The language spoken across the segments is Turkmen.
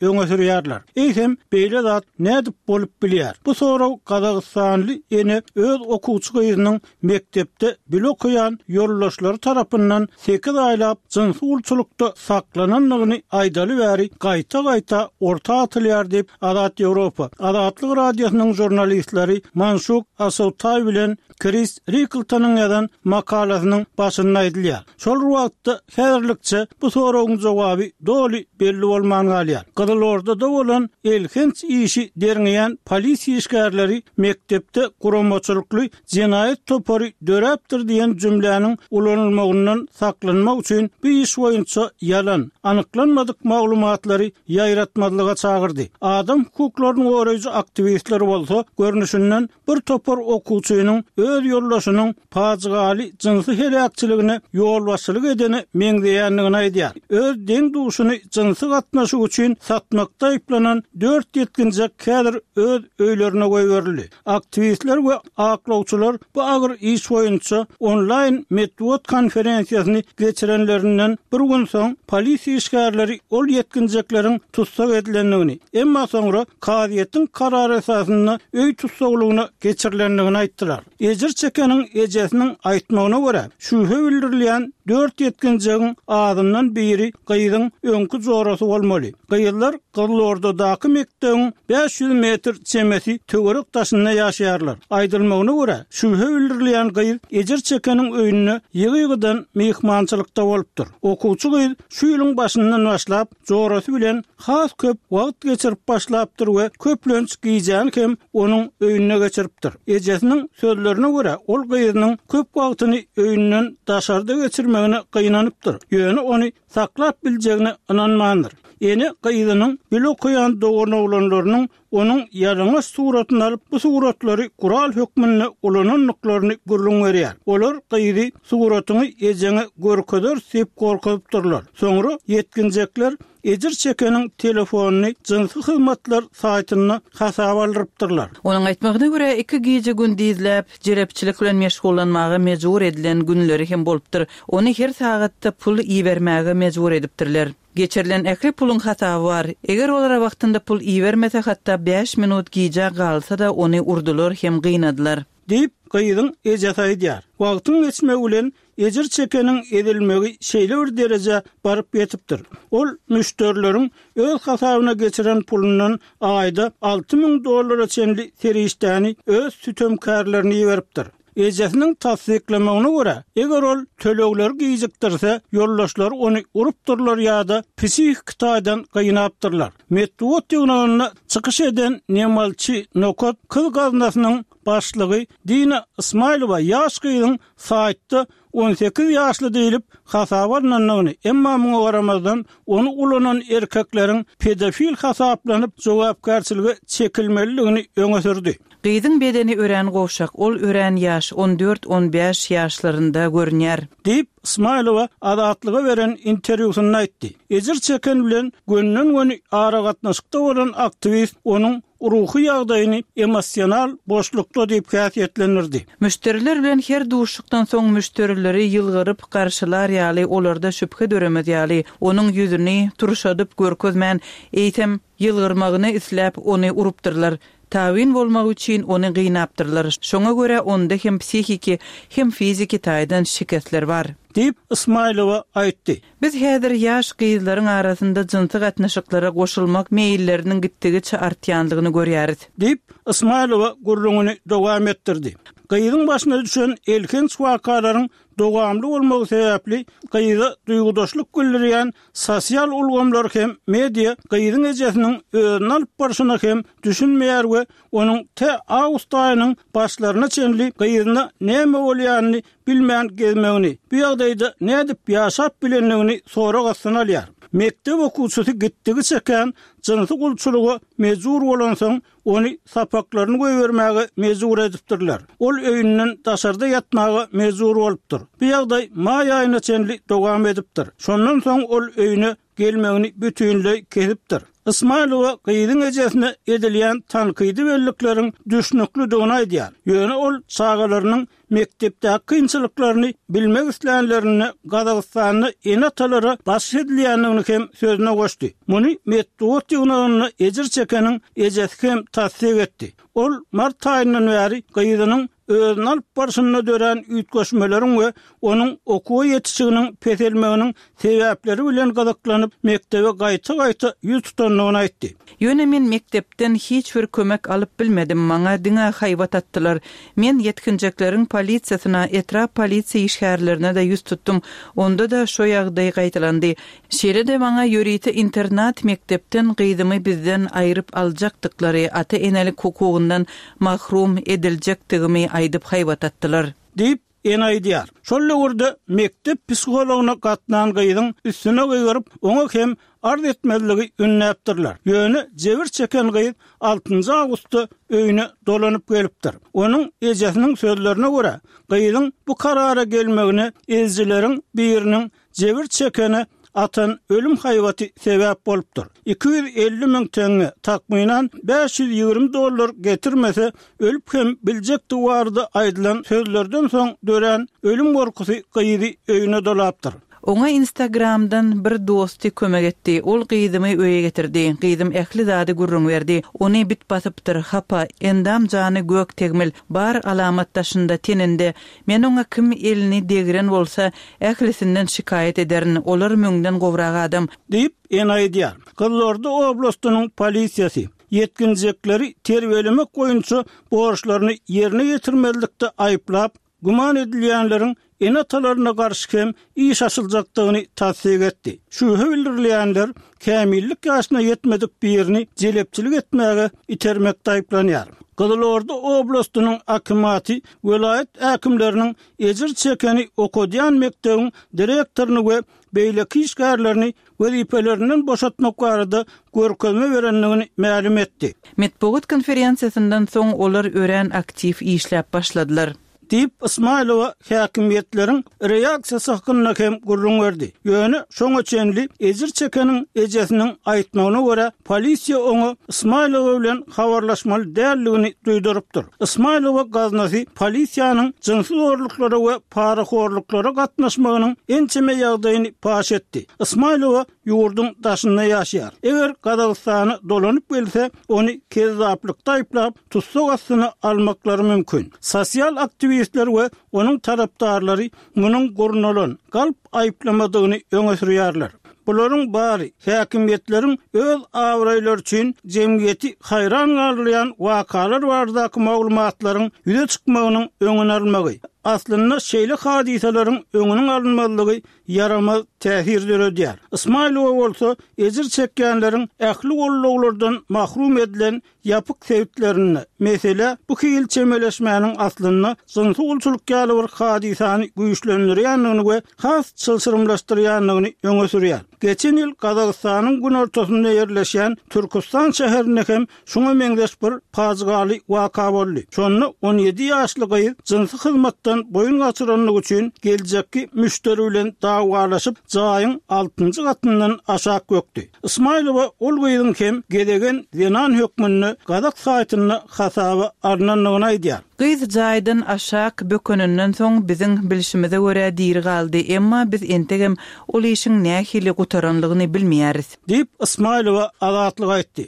öňe sürýärler. Eýsem, beýle zat nädip bolup bilýär? Bu sorag gazagystanly ene öz okuwçy gyzynyň mekdepde bile okaýan ýoldaşlary tarapyndan sekiz aýlap jynsy gulçulykda saklanandygyny aýdaly bäri gaýta-gaýta orta atylýar diýip, Azat Ýewropa, Azatlyk Radiosynyň žurnalistleri Manşuk Asawtaý bilen Kris Rikltonyň ýazan makalasynyň başynda aýdylýar. Şol bir wagtda, häzirlikçe bu soragyň jogaby doly belli bolman galýar. Gyzylordada bolan elhenç işi derňeýän polisiýa işgärleri mekdepde guramaçylykly jenaýat topary döräpdir diýen jümläniň ulanylmagyndan saklanmak üçin bu iş boýunça ýalan, anyklanmadyk maglumatlary ýaýratmazlyga çagyrdy. Adam hukuklaryny goraýjy aktiwistler bolsa, görnüşinden, bir topar okuwçynyň öz ýoldaşynyň pajygaly jynsy heläkçiligine ýolbaşçylyk edene meňzeýändigini aýdýar. Öz deň-duşuny jynsy gatnaşyk üçin satmakda aýyplanan dört ýetginjek häzir öz öýlerine goýberildi. Aktiwistler we aklawçylar bu agyr iş boýunça onlaýn metbugat konferensiýasyny geçirenlerinden bir gün soň, polisiýa işgärleri ol ýetginjekleriň tussag edilendigini, emma soňra kazyýetiň karary esasynda öý tussaglygyna geçirilendigini aýtdylar. Ejir çekeniň ejesiniň aýtmagyna görä, şübhe bildirilýän dört ýetginjegiň azyndan biri gyzyň öňki jorasy bolmaly. Gyzlar Gyzylordadaky mekdebiň 500 metr çemesi töwerek daşynda ýaşaýarlar. Aýdylmagyna görä, şübhe bildirilýän gyz ejir çekeniň öýünde ýygy-ýygydan myhmançylykda bolupdyr. Okuwçy gyz şu ýylyň başyndan başlap, jorasy bilen has köp wagt geçirip başlapdyr we köplenç gijäni hem onuň öýünde geçiripdir. Ejesiniň sözlerine görä, ol gyzynyň köp wagtyny öýünden daşarda geçirmegine gynanypdyr, ýöne ony saklap biljegine ynanmandyr. Ene gyzynyň bile okaýan doganoglanlarynyň onuň ýalaňaç suratyny alyp, bu suratlary gural hökmünde ulanandyklaryny gürrüň berýär. Olar gyzy suratyňy ejeňe görkezeris diýip gorkuzypdyrlar. Soňra ýetginjekler ejir çekeniň telefonyny jynsy hyzmatlar saýtynda hasaba aldyrypdyrlar. Onuň aýtmagyna görä, iki gije-gündizläp jelepçilik bilen meşgullanmaga mejbur edilen günleri hem bolupdyr. Ony her sagatda pul ibermäge mejbur edipdirler. Geçirilen ähli puluň hasaby bar. Eger olara wagtynda pul ibermese, hatda bäş minut gijä galsa-da, ony urdular hem gynadylar. Diýip, gyzyň ejesi aýdýar. Wagtyň geçmegi bilen ejir çekeniň ezilmegi şeýle bir derejä baryp ýetipdir. Ol müşderileriň öz hasabyna geçiren pulundan aýda 6000 dollara çenli serişdäni öz sütemkärlerine iberipdir. Ejesiniň tassyklamagyna görä, eger ol tölegleri gijikdirse, ýoldaşlary ony urupdyrlar ýa-da psihiki taýdan gynapdyrlar. Metbugat ýygnagynda çykyş eden Nemalçi Nokat kyz gaznasynyň başlygy Dina Ysmaýylowa ýaş gyzyň saýtda 18 ýaşly diýlip hasaba alnandygyny, emma muňa garamazdan, ony ulanan erkekleriň pedofil hasaplanyp jogapkärçilige çekilmelidigini öňe sürdi. Gyzyň bedeni örän gowşak, ol örän ýaş, on dört-on bäş ýaşlarynda görünýär. Diýip, Ysmaýylowa Azatlyga beren interwýusynda aýtdy. Ejir çeken bilen gönden-göni aragatnaşykda bolan aktiwist onuň ruhy ýagdaýyny emosional boşlukda diýip häsiýetlendirdi. Müşderiler bilen her duşuşykdan soň müşderileri ýylgyryp garşylar ýaly, olarda şübhe döremez ýaly, onuň ýüzüni turşadyp görkezmän, eýsem, ýylgyrmagyny isläp, ony urupdyrlar. Tabyn bolmagy üçin ony gynapdyrlar. Şoňa görä onda hem psihiki, hem fiziki taýdan şikesler bar. Diýip, Ysmaýylowa aýtdy. Biz häzir ýaş gyzlaryň arasynda jynsy gatnaşyklara goşulmak meýilleriniň gitdigiçe artýandygyny görýäris. Diýip, Ysmaýylowa gürrüňini dowam etdirdi. Gyzyň başyna düşen elhenç wakalaryň dowamly bolmagy sebäpli gyza duýgudaşlyk bildirýän sosial ulgamlar hem media gyzyň ejesiniň özüni alyp barşyna hem düşünmeýär we onuň tä awgust aýynyň başlaryna çenli gyzyna näme bolýanyny bilmän gezmegini, bu ýagdaýda nädip ýaşap bilendigini sorag astyna alýar. Mekdep okuwçysy gitdigiçe kän jynsy gulçulyga mejbur bolansoň, ony sapaklaryny goýbermäge mejbur edipdirler. Ol öýünden daşarda ýatmaga mejbur bolupdyr. Bu ýagdaý maý aýyna çenli dowam edipdir. Şondan soň ol öýüne gelmegini bütinleý kesipdir. Ysmaýylowa gyzyň ejesine edilýän tankydy bellikleriň düşnüklidigini aýdýar. Ýöne ol çagalarynyň mekdepdäki kynçylyklaryny bilmek islänlerinde Gazagystanda ene-atalara basyş edilýändigini hem sözüne goşdy. Muny metbugat ýygnagynda ejir çekeniň ejesi hem tassyk etdi. Ol mart aýyndan bäri gyzynyň özüni alyp barşynda dörän üýtgeşmeleriň we onuň okuwa ýetişiginiň peselmeginiň sebäpleri bilen gyzyklanyp, mekdebe gaýta-gaýta ýüz tutandygyny aýtdy. Ýöne men mekdepden hiç bir kömek alyp bilmedim, maňa diňe haýbat atdylar. Men ýetginjekleriň polisiýasyna, etrap polisiýa işgärlerine-de ýüz tutdum, onda-da şo ýagdaý gaýtalandy. Şeýle-de maňa ýörite internat mekdepden gyzymy bizden aýryp aljakdyklary, ata-enelik hukugyndan mahrum ediljekdigimi aýdyp haýbat atdylar. Diýip, ene aýdýar. Şol döwürde mekdep psihologyna gatnan gyzyň üstüne gygyryp, oňa hem arz etmezligi ündäpdirler. Ýöne jebir çeken gyz altynjy awgustda öýüne dolanyp gelipdir. Onuň ejesiniň sözlerine görä, gyzyň bu karara gelmegine ezijileriň biriniň Jebir çekene atan ölüm haýbaty sebäp bolupdyr. 250 müň teňňe, takmynan 520 dollar getirmese, ölüp hem biljekdigi barada aýdylan sözlerden soň dörän ölüm gorkusy gyzy öýüne dolapdyr. Oňa Instagramdan bir dosty kömek etdi. Ol gyzymy öýe getirdi. Gyzym ähli zady gürrüň berdi. Ony bit basypdyr, hapa, endam-jany gök tegmil, bar alamat daşynda, teninde. Men oňa kim elini degren bolsa, ählisinden şikaýat ederin, olar müňden gowrak adam. Diýip, ene aýdýar. Gyzylorda oblastynyň polisiýasy, ýetginjekleri terbiýelemek boýunça borçlaryny ýerine ýetirmezlikde aýyplap, güman edilýänleriň ene-atalaryna garşy hem iş açyljakdygyny tassyk etdi. Şübhe bildirilýänler kämillik ýaşyna ýetmedik birini jelepçilik etmäge itermekde aýyplanýar. Gyzylorda oblastynyň akimaty welaýat häkimleriniň ejir çekeni okadýan mekdebiň direktoryny we beýleki işgärlerini wezipelerinden boşatmak barada görkezme berendigini mälim etdi. Metbugat konferensiýasyndan soň olar örän aktiw işläp başladylar. Diýip, Ysmaýylowa häkimiýetleriň reaksiýasy hakynda hem gürrüň berdi. Ýöne şoňa çenli ejir çekeniň ejesiniň aýtmagyna görä, polisiýa oňa Ysmaýylowa bilen habarlaşmaly däldigini duýdurypdyr. Ysmaýylowa gaznasy polisiýanyň jynsy zorluklara we parahorluklara gatnaşmagynyň ençeme ýagdaýyny paş etdi. Ysmaýylowa ýurduň daşynda ýaşaýar. Eger Gazagystana dolanyp gelse, ony kezzaplykda aýyplap, tussag astyna almaklary mümkin. Sosial aktiwistler we onuň tarapdarlary munuň gurnalan, galp aýyplamadygyny öňe sürýärler. Bularyň bary häkimiýetleriň öz abraýlary üçin jemgyýeti haýran galdyrýan wakalar baradaky maglumatlaryň ýüze çykmagynyň öňüni almagy, aslynda şeýle hadysalaryň öňüniň alynmazlygy ýaramaz täsir döredýär. Ysmaýylowa bolsa ejir çekýänleriň ähli gollaglardan mahrum edilen ýapyk sebitlerinde, meselä bu hili çemeleşmäniň aslynda jynsy gulçulyk ýaly bir hadysany güýçlendirýändigini we has çylşyrymlaşdyrýandygyny öňe sürýär. Geçen ýyl Gazagystanyň günortasynda ýerleşýän Türküstan şäherinde hem şuňa meňzeş bir pajygaly waka boldy. Şonda 17 ýaşly gyz jynsy hyzmatdan boýun gaçyranlygy üçin geljekki müşderi bilen dawalaşyp, jaýyň altynjy gatyndan aşak bökdi. Ysmaýylowa ol gyzyň hem gezegen zenan hökmünde gazak saýtynda hasaba alnandygyny aýdýar. Gyz jaýdan aşak bökeninden soň biziň bilşimize görä diri galdy, emma biz entegem ol işiň nähili gutaranlygyny bilmeýäris. Diýip, Ysmaýylowa Azatlyga aýtdy.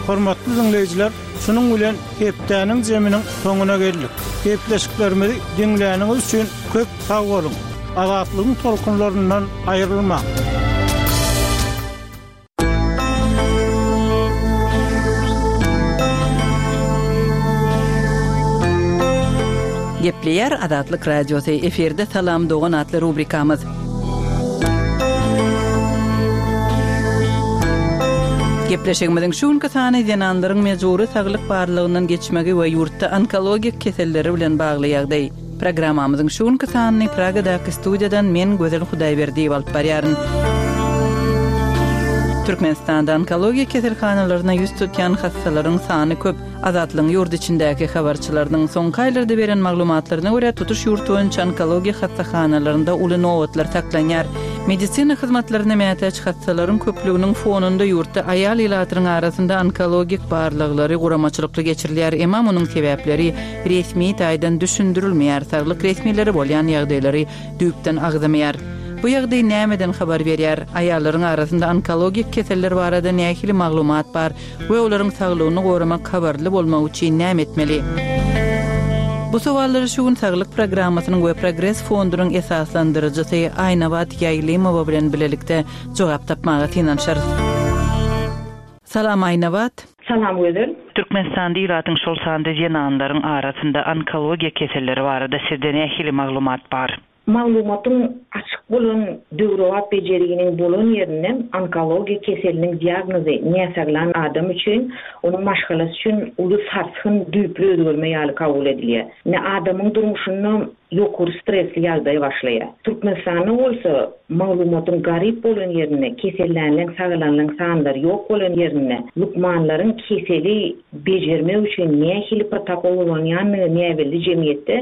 Hormatly diňleýjiler, şunuň bilen hepdäniň jeminiň soňuna geldik. Gepleşiklerimizi diňläniňiz üçin köp sag boluň! Azatlygyň tolkunlaryndan aýrylmaň! Gepleýär Azatlyk Radiosy, efirde Salam dogan atly rubrikamyz. Gepleşigimiziň şu günki sany zenanlaryň mejbury saglyk barlagyndan geçmegi we ýurtda onkologik keselleri bilen bagly ýagdaý. Programmamyzyň şu günki sanyny Pragadaky studiýadan men Gözel Hudaýberdiýewa alyp barýaryn. Türkmenistanda onkologiýa keselhanalaryna ýüz tutýan hassalaryň sany köp. Azatlygyň ýurt içindäki habarçylarynyň soňky aýlarda beren maglumatlaryna görä, tutuş ýurt boýunça onkologiýa hassahanalarynda uly nobatlar saklanýar. Medisina hyzmatlaryna mätäç hassalaryň köplüginiň fonunda ýurtda aýal ilatynyň arasynda onkologik barlaglary guramaçylykly geçirilýär, emma munuň sebäpleri resmi taýdan düşündirilmeýär, saglyk resmileri bolýan ýagdaýlary düýpden agzamaýar. Bu ýagdaý nämeden habar berýär? Aýallaryň arasynda onkologik keseller barada nähili maglumat bar we olaryň saglygyny goramak habarly bolmagy üçin näme etmeli? Bu sowallara şu gün Saglyk programmasynyň we Progres fondunyň esaslandyryjysy Aýnabat Ýaýlymowa bilen bilelikde jogap tapmaga synanyşarys. Salam Aýnabat! Salam Gözel! Türkmenistanda ilatyň şol sanda zenanlaryň arasynda onkologiýa keselleri barada sizde nähili maglumat bar? Maglumatyň açyk bolan döwrebap bejerginiň bolan ýerinde onkologiýa keseliniň diagnozy näsaglan adam üçin, onuň maşgalasy üçin uly sarsgyn, düýpli özgerme ýaly kabul edilýär. Ine, adamyň durmuşynda ýokary stresli ýagdaý başlaýar. Türkmenistanda bolsa maglumatyň garyp bolan ýerinde, kesellänleň, sagalanlaň sanlary ýok bolan ýerinde, lukmanlaryň keseli bejermek üçin nähili protokol ulanýandygy näbelli jemgyýetde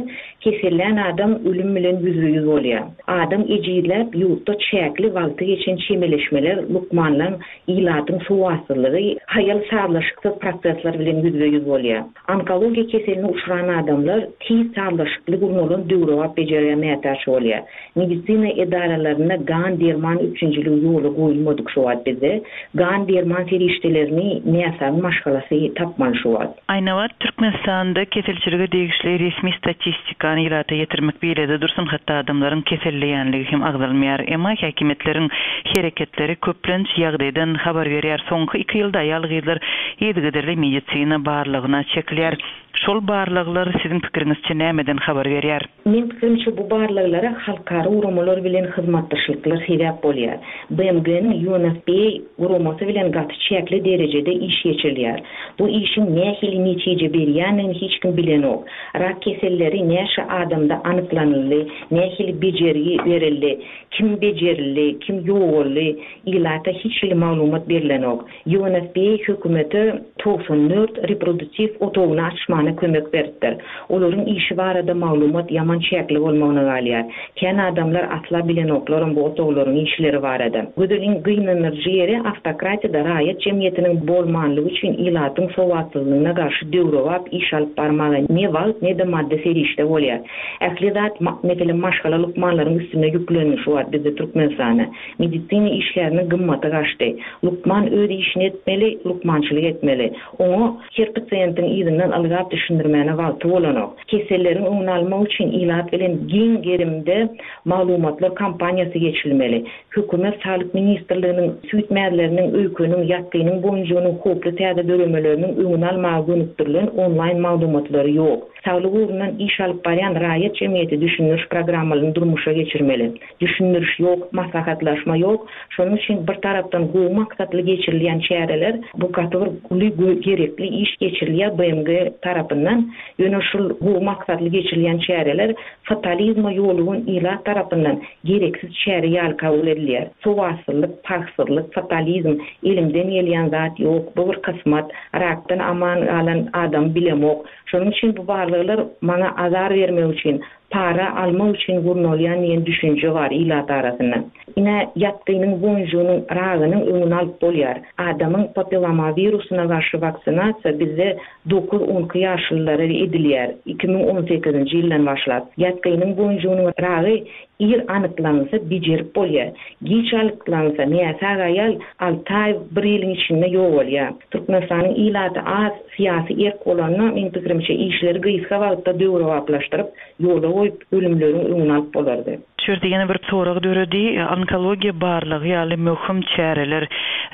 Kesellän adam ölüm bilen ýüzbe-ýüz bolýar. Adam ejizläp, ýurtda çäkli wagty geçen çemeleşmeler, lukmanlaň, ilatyň sowatsyzlygy, haýal sazlaşyksyz prosesler bilen ýüzbe-ýüz bolýar. Onkologiýa keseline uçran adamlar tiz sazlaşykly gurnalan döwrebap bejergä mätäç bolýar. Medisina edaralarynda gan-derman üpjünçiligi ýola goýulmadyk şu wagt bizde. Gan-derman serişdelerini näsagyň maşgalasy tapmaly şu wagt. Aýnabat, Türkmenistanda keselçilige degişli resmi statistikany ilata ýetirmek beýlede dursun, hatda adamlaryň keselleýänligi hem agzalmaýar. Emma häkimiýetleriň hereketleri köplenç ýagdaýdan habar berýär. Soňky iki ýylda aýal-gyzlar yzygiderli medisina barlagyna çekilýär. Şol barlaglar siziň pikiriňizçe nämeden habar berýär? Meň pikirimçe bu barlaglara halkara guramalar bilen hyzmatdaşlyklar sebäp bolýar. BMG-niň UNFPA guramasy bilen gaty çäkli derejede iş geçirilýär. Bu işiň nähili netije berýändigini hiç kim bilenok. Rak keselleri näçe adamda anyklanyldy, nähili bejergi berildi, kim bejerildi, kim ýogaldy, ilata hiç hili maglumat berlenok. UNFPA hökümete 94 reproduktiw otagyny açmana kömek beripdir. Olaryň işi barada maglumat ýaman çäkli bolmagyna galýar. Kän adamlar asla bilenoklaram bu otaglaryň işleri barada. Gözeliň gynandyryjy ýeri awtokratiýada raýat jemgyýetiniň bolmanlygy üçin ilatyň sowatsyzlygyna garşy döwrebap iş alyp barmaga ne wagt ne-de maddy serişde bolýar. Ähli zat meselem maşgala lukmanlaryň üstüne ýüklendi şu wagt bizde Türkmenistanda. Medisina işgäriniň gymmaty gaçdy. Lukman öz işini etmeli, lukmançylyk etmeli. Oňa her pasiýentiň yzyndan ylgap düşündirmäne wagty bolanok. Keselleriň öňüni almak üçin ilat bilen giň gerimde maglumatlar kampaniýasy geçirilmeli. Hökümet Saglyk ministrliginiň süýt mäzleriniň, öýkeniň, ýatgynyň boýunjygynyň howply täze döremeleriniň öňüni almaga gönükdirilen onlaýn maglumatlary ýok. Saglyk ugrundan iş alyp barýan raýat jemgyýeti düşündiriş programmalaryny durmuşa geçirmeli. Düşündiriş ýok, maslahatlaşma ýok. Şonuň üçin bir tarapdan gowy maksatly geçirilýän çäreler, bu gaty bir uly gerekli iş geçirilýär BMG tarapyndan. Ýöne şul gowy maksatly geçirilýän çäreler fatalizme ýolugan ilat tarapyndan gereksiz çäre ýaly kabul edilýär. Sowatsyzlyk, parhsyzlyk, fatalizm, elimden gelýän zat ýok, bu bir kysmat, rakdan aman galan adamy bilemok. Şonuň üçin bu barlaglar maňa azar bermek üçin, para almak üçin gurnalýan diýen düşünje bar ilat arasynda. Ine, ýatgynyň boýunjygynyň ragynyň öňüni alyp bolýar. Adamyň papillomawirusyna garşy waksinasiýa bizde dokuz-on iki ýaşlylara edilýär, 2018-nji ýyldan başlap. Ýatgynyň boýunjygynyň ragy ir anyklanylsa bejerip bolýar. Giç anyklanylsa, näsag aýal alty aý, bir ýylyň içinde ýogalýar. Türkmenistanyň ilaty az, Syýasy erk bolanda, meň pikirimçe, işleri gysga wagtda döwrebaplaşdyryp, ýola goýup, ölümleriň öňüni alyp bolardy. Şu ýerde ýene bir sorag döredi, onkologiýa barlagy ýaly möhüm çäreler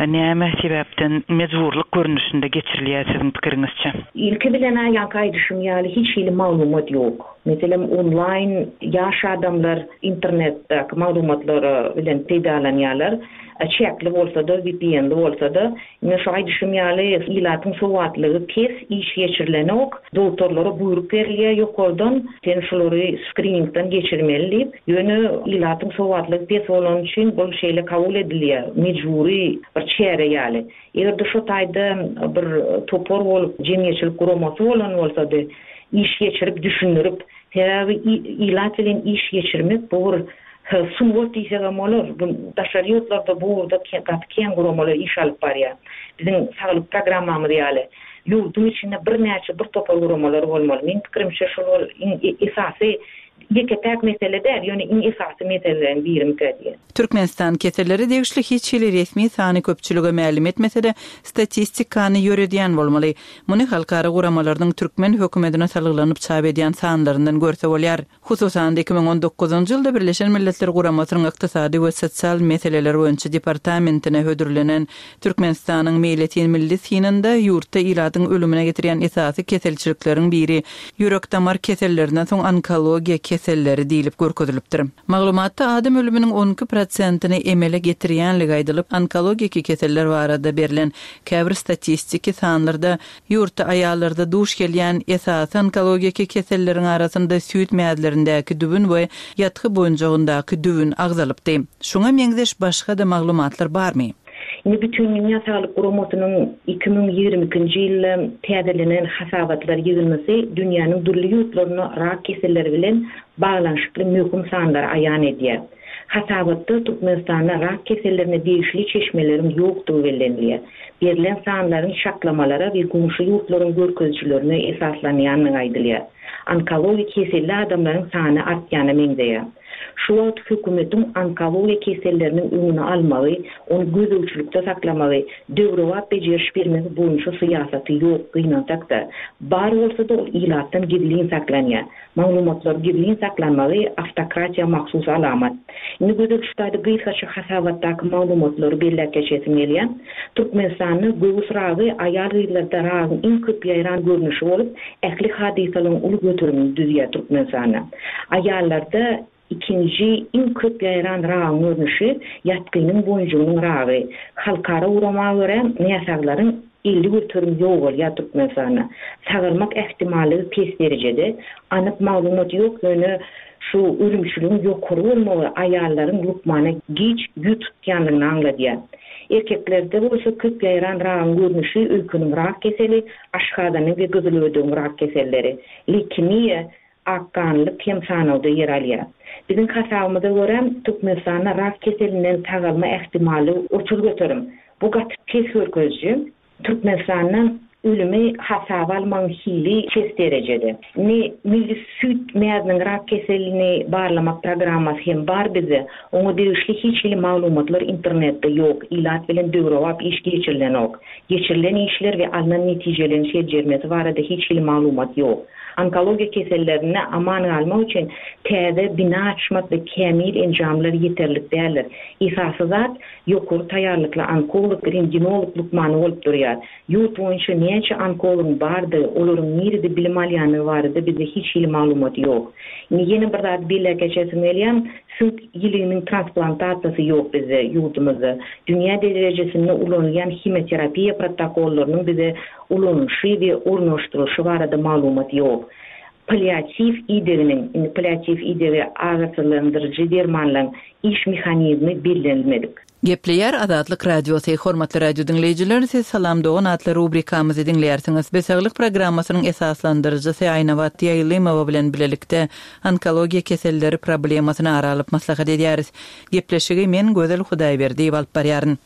näme sebäpden mejburlyk görnüşinde geçirilýär siziň pikiriňizçe? Ilki bilen-ä ýaňky aýdyşym ýaly hiç hili maglumat ýok. Meselem, onlaýn ýaş adamlar internetdäki maglumatlar bilen peýdalanýarlar. Çäkli bolsa-da, VPN-li bolsa-da, Ine şu aýdyşym ýaly ilatyň sowatlygy pes, iş geçirilenok, dogtorlara buýruk berilýär ýokardan, sen şulary skriningden geçirmeli diýip, ýöne ilatyň sowatlygy pes bolany üçin bul şeýle kabul edilýär, mejbury bir çäre ýaly. Eger-de şo taýda bir topar bolup, jemgyýetçilik guramasy bolan bolsady, iş geçirip, düşündirip, sebäbi ilat bilen iş geçirmek bu bir. sungat diýsegem bolar. Bu daşary ýurtlarda bu ugurda gaty kän guramalar iş alyp barýar. Biziň saglyk programmamyz ýaly ýurduň içinde birnäçe bir topar guramalar bolmaly. Meň pikirimçe şol ol iň esasy ýeke-täk mesele däl, ýöne iň esasy meseleleriň birimikä diýen. Türkmenistan kesellere degişli hiç hili resmi sany köpçülige mälim etmese-de, statistikany ýöredýän bolmaly. Muny halkara guramalarynyň türkmen hökümetine salgylanyp çap edýän sanlaryndan görse bolýar. Hususan-da, 2019-njy ýylda Birleşen Milletler Guramasynyň Ykdysady we sosial meseleler boýunça departamentine hödürlenen Türkmenistanyň meýletin milli synynda ýurtda ilatyň ölümine getirýän esasy keselçilikleriň biri ýürek-damar kesellerinden soň onkologiýa keselleri diýlip görkezilipdir. Maglumatda adam ölüminiň 12 prosentini emele getirýänligi aýdylyp, onkologiki keseller barada berlen käbir statistiki sanlarda Ýurtda aýallarda duş gelýän esasy onkologiki keselleriň arasynda süýt mäzlerindäki düwün we ýatgy boýunjagyndaky düwün agzalypdy. Şuňa meňzeş başga-da maglumatlar barmy? Indi Bütindünýä Saglyk Guramasynyň 2022-nji ýylda täzelenen hasabatlar ýygyndysy dünýäniň dürli ýurtlarynda rak keselleri bilen baglanyşykly möhüm sanlary aýan edýär. Hasabatda Türkmenistanda rak kesellerine degişli çeşmeleriň ýokdugy bellenilýär. Berlen sanlaryň çaklamalara we goňşy ýurtlaryň görkezijilerine esaslanýandygy aýdylýar. Onkologik keselli adamlaryň sany artýana meňzeýär. Şu wagt hökümetiň onkologiýa keselleriniň öňüni almagy, ony gözegçilikde saklamagy, döwrebap bejeriş bermegi boýunça syýasaty ýok, gynansak-da. Bar bolsa-da ol ilatdan gizlin saklanýar. Maglumatlary gizlin saklanmagy awtokratiýa mahsus alamat. Indi Gözel şu taýda gysgaça hasabatdaky maglumatlary belläp geçesim gelýär. Türkmenistanda göwüs ragy aýal-gyzlarda ragyň iň köp ýaýran görnüşi bolup, ähli hadysalaryň uly göterimini düzýär Türkmenistanda. Aýallarda ikinji iň köp ýaýran ragyň görnüşi ýatgynyň boýunjygynyň ragy. Halkara gurama görä, näsaglaryň 50% ýogalýar Türkmenistanda. Sagalmak ähtimallygy pes derejede. Anyk maglumat ýok, ýöne şu ölümçiligiň ýokary bolmagy aýallaryň lukmana giç ýüz tutýandygyny aňladýar. Erkeklerde bolsa köp ýaýran ragyň görnüşi öýkeniň rak keseli, aşgazanyň we gyzylödegiň rak keselleri, leýkemiýa, akganlyk hem sanawda ýer alýar. Biziň hasabymyza görä, Türkmenistanda rak keselinden sagalma ähtimallygy 30%. Bu gaty pes görkeziji. Türkmenistanda ölümi hasaba almagyň hili pes derejede. Indi milli süýt mäziniň rak keselini barlamak programmasy hem bar bizde. Oňa degişli hiç hili maglumatlar internetde ýok, ilat bilen döwrebap iş geçirilenok. Geçirilen işler we alnan netijeleriň seljermesi barada hiç hili maglumat ýok. Onkologiýa kesellerinde aman galmak üçin täze bina açmak we kämil enjamlar ýeterlik däldir. Esasy zat, ýokary taýýarlykly onkolog, rentgenolog lukmany bolup durýar. Ýurt boýunça näçe onkologyň bardygy, olaryň nirede bilim alýandygy barada bizde hiç hili maglumat ýok. Indi ýene bir zady belläp geçesim gelýär, süňk ýiliginiň transplantasiýasy ýok bizde, ýurdumyzda. Dünýä derejesinde ulanylýan himioterapiýa protokollarynyň bize ulanylyşy we ornaşdyrylyşy barada maglumat ýok. Palliatiw ideginiň, indi palliatiw idegi agyrsyzlandyryjy dermanlaryň iş mehanizmi bellenilmedik. Gepleýär Azatlyk Radiosy, Hormatly radio diňleýjiler, siz Salam dogan atly rubrikamyzy diňleýärsiňiz. Biz Saglyk programmasynyň esaslandyryjysy Aýnabat Ýaýlymowa bilen bilelikde onkologiýa keselleri problemasyny ara alyp maslahat edýäris. Gepleşigi men Gözel Hudaýberdiýewa alyp barýaryn.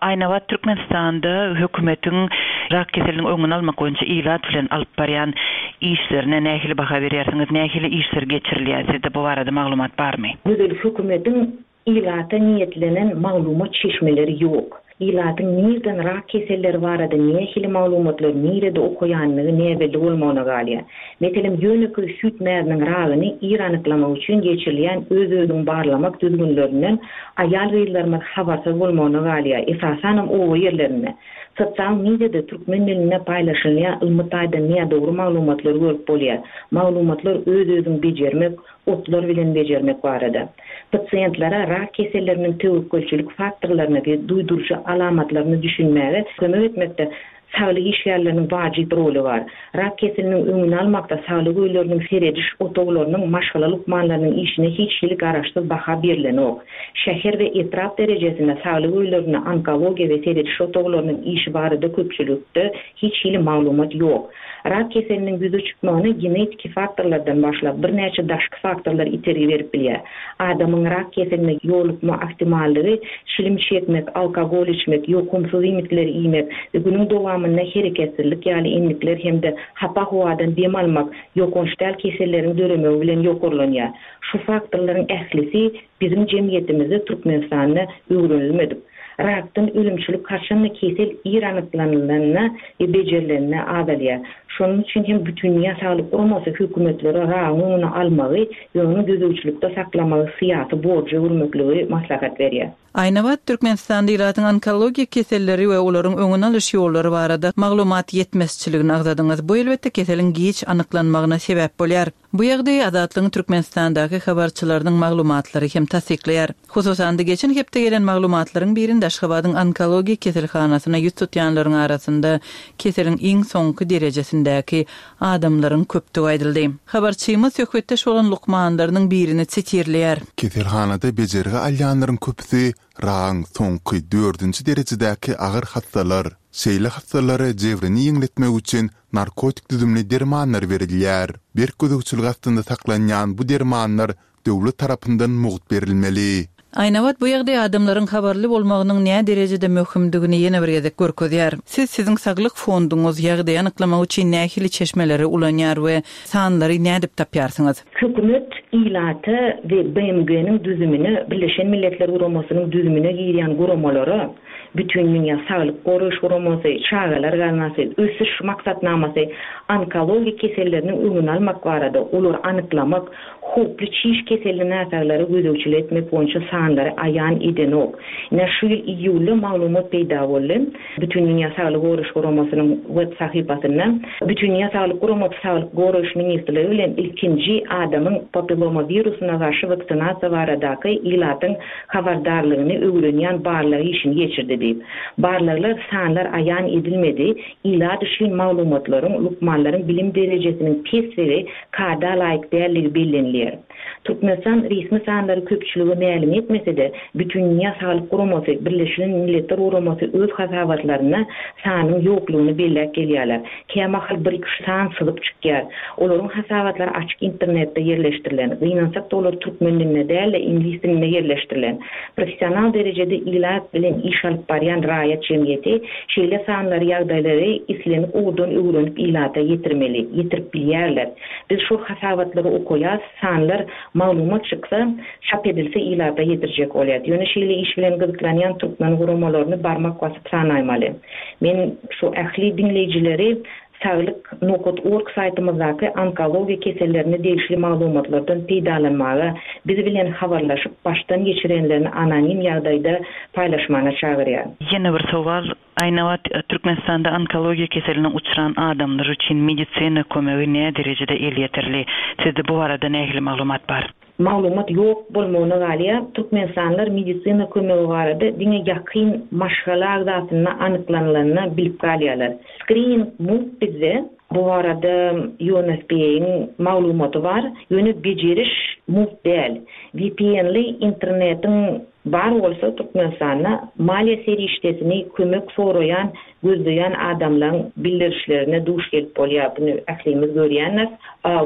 Aýnabat Türkmenistanda hökümetiň rak keseliniň öňüni almak boýunça ilat bilen alyp barýan işlerine nähili baha berýärsiňiz? Nähili işler geçirilýär? Sizde bu barada maglumat barmy? Gözel hökümetiň ilata niýetlenen maglumat çeşmeleri ýok. Ilatyň nirden rak keselleri barada nähili maglumatlary nirede okaýanlygy näbelli bolmagyna galýar. Meselem, ýönekeý süýt mäziniň ragyny ir anyklamak üçin geçirilýän öz-özüňi barlamak düzgünlerinden aýal-gyzlarymyz habarsyz bolmagyna galýar, esasanam oba ýerlerinde. Sosial mediada türkmen dilinde paýlaşylýan ylmy taýdan nädogry maglumatlary görüp bolýar. Maglumatlar öz-özüňi bejermek, otlar bilen bejermek barada. Pasiýentlere rak keselleriniň töwekgelçilik faktorlaryna we duýduryjy alamatlaryna düşünmäge kömek etmekde. Saglyk işgärleriniň wajyp roly bar. Rak keseliniň öňüni almakda saglyk öýleriniň serediş otaglarynyň maşgala lukmanlarynyň işine hiç hili garaşsyz baha berlenok. Şäher we etrap derejesinde saglyk öýlerinde onkologiýa we serediş otaglarynyň işi barada köpçülikde hiç hili maglumat ýok. Rak keseliniň ýüze çykmagyna genetiki faktorlardan başlap birnäçe daşky faktorlar itergi berip bilýär. Adamyň rak keseline ýolukma ahtimallygy çilim çekmek, alkogol içmek, ýokumsyz iýmitleri iýmek we günüň dowamynda hereketsizlik ýaly endikler hem-de hapa howadan dem almak ýokanç däl keselleriň döremegi bilen ýokarlanýar. Şu faktorlaryň ählisi biziň jemgyýetimizde Türkmenistanda öwrenilmedik. Rakdan ölümçilik haçanda kesel ir anyklanylanda we bejerilende azalýar. Şonuň üçin hem Bütindünýä Saglyk Guramasy hökümetlere ragyň öňüni almagy we ony gözegçilikde saklamagy syýasy borja öwürmekligi maslahat berýär. Aýnabat, Türkmenistanda ilatyň onkologiýa keselleri we olaryň öňüni alyş ýollary barada maglumat ýetmezçiligini agzadyňyz. Bu elbetde keseliň giç anyklanmagyna sebäp bolýar. Bu ýagdaýy Azatlygyň Türkmenistandaky habarçylarynyň maglumatlary hem tassyklaýar. Hususan-da, geçen hepde gelen maglumatlaryň birinde Aşgabadyň onkologiýa keselhanasyna ýüz tutýanlaryň arasynda keseliň iň soňky derejesindäki adamlaryň köpdügi aýdyldy. Habarçymyz söhbetdeş bolan lukmanlarynyň birini sitirleýär. Keselhanada bejergi alýanlaryň köpüsi ragyň soňky dördünji derejedäki agyr hassalar. Şeýle hassalara jebrini ýeňletmek üçin narkotik düzümli dermanlar berilýär. Berk gözegçilik astynda saklanýan bu dermanlar döwlet tarapyndan mugt berilmeli. Aýnabat bu ýagdaý adamlaryň habarly bolmagynyň näderejede möhümdigini ýene bir gezek görkezýär. Siz siziň saglyk fonduňyz ýagdaýy anyklamak üçin nähili çeşmeleri ulanýar we sanlary nädip tapýarsyňyz? Hökümet ilata we BMG-niň düzümine, Birleşen Milletler Guramasynyň düzümine girýän guramalara, Bütindünýä Saglyk Goraýyş Guramasy, Çagalar gaznasy, Ösüş maksatnamasy onkologik keselleriniň öňüni almak barada, olary anyklamak, howply çiş keselli näsaglara gözegçilik etmek boýunça sanlary aýan edenok. Ine, şu ýyl iýulda maglumat peýda boldy. Bütindünýä Saglygy Goraýyş Guramasynyň web sahypasynda Bütindünýä Saglyk Guramasy Saglyk Goraýyş ministrligi bilen ilkinji adamyň papilloma wirusyna garşy waksinasiýa baradaky ilatyň habardarlygyny öwrenýän barlag işini geçirdi diýip. Barlaglar sanlar aýan edilmedi, ilat üçin maglumatlaryň, lukmanlaryň bilim derejesiniň pesligi, kada laýyk dälligi bellenilýär. Türkmenistan resmi sanlary köpçülige mälim etmese-de, Bütindünýä Saglyk Guramasy, Birleşilen Milletler Guramasy öz hasabatlarynda sanyň ýoklugyny belläp gelýärler. Kämahal bir-iki san syzyp çykýar. Olaryň hasabatlary açyk internetde ýerleşdirilen. Gynansak-da olar türkmen dilinde däl-de, iňlis dilinde ýerleşdirilen. Professional derejede ilat bilen iş alyp barýan raýat jemgyýeti şeýle sanlary, ýagdaýlary islendik ugurdan öwrenip ilata ýetirmeli, ýetirip bilýärler. Biz şol hasabatlary okaýas, sanlar, maglumat çyksa, çap edilse ilata ýetirjek bolýas. Ýöne şeýle iş bilen gyzyklanýan türkmen guramalaryny barmak basyp sanaýmaly. Men şu ähli diňleýjileri Saglyk nokat org saýtymyzdaky onkologiýa kesellerine degişli maglumatlardan peýdalanmaga, biz bilen habarlaşyp, başdan geçirenlerini anonim ýagdaýda paýlaşmana çagyrýan. Ýene bir sowal, Aýnabat, Türkmenistanda onkologiýa keseline uçran adamlar üçin medisina kömegi näderejede elýeterli? Sizde bu barada nähili maglumat bar? Maglumat ýok bolmagyna galýar. Türkmenistanlylar medisina kömegi barada diňe ýakyn maşgala agzasynda anyklanylanda bilip galýarlar. Skrining mugt bizde. Bu barada UNFPA-yň maglumaty bar. Ýöne bejeriş mugt däl. VPN-li internetiň bar bolsa Türkmenistanda maliýe serişdesini kömek soraýan gözleýän adamlaň bildirişlerine duş gelip bolýar, buny ählimiz görýändiris.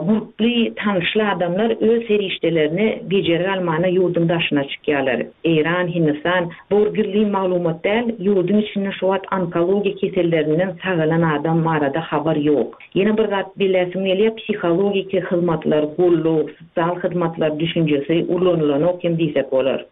Gurply, tanyşly adamlar öz serişdelerini bejergi almana ýurduň daşyna çykýarlar. Eýran, Hindistan, bu bir gizlin maglumat däl, ýurduň içinde şu wagt onkologiýa kesellerinden sagalan adam barada habar ýok. Ýene bir zat belläsim gelýär, psihologiki hyzmatlar, goldaw, sosial hyzmatlar düşünjesi ulanylanok hem diýsek bolar.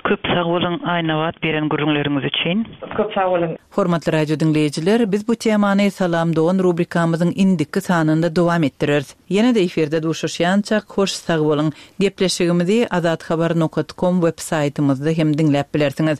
Köp sag boluň Aýnabat beren gürrüňleriňiz üçin. Köp sag boluň. Hormatly radio diňleýjiler, biz bu temany Salam dogan rubrikamyzyň indiki sanynda dowam etdireris. Ýene-de efirde duşuşýançak hoş sag boluň. Gepleşigimizi azathabar nokat kom web saýtymyzda hem diňläp bilersiňiz.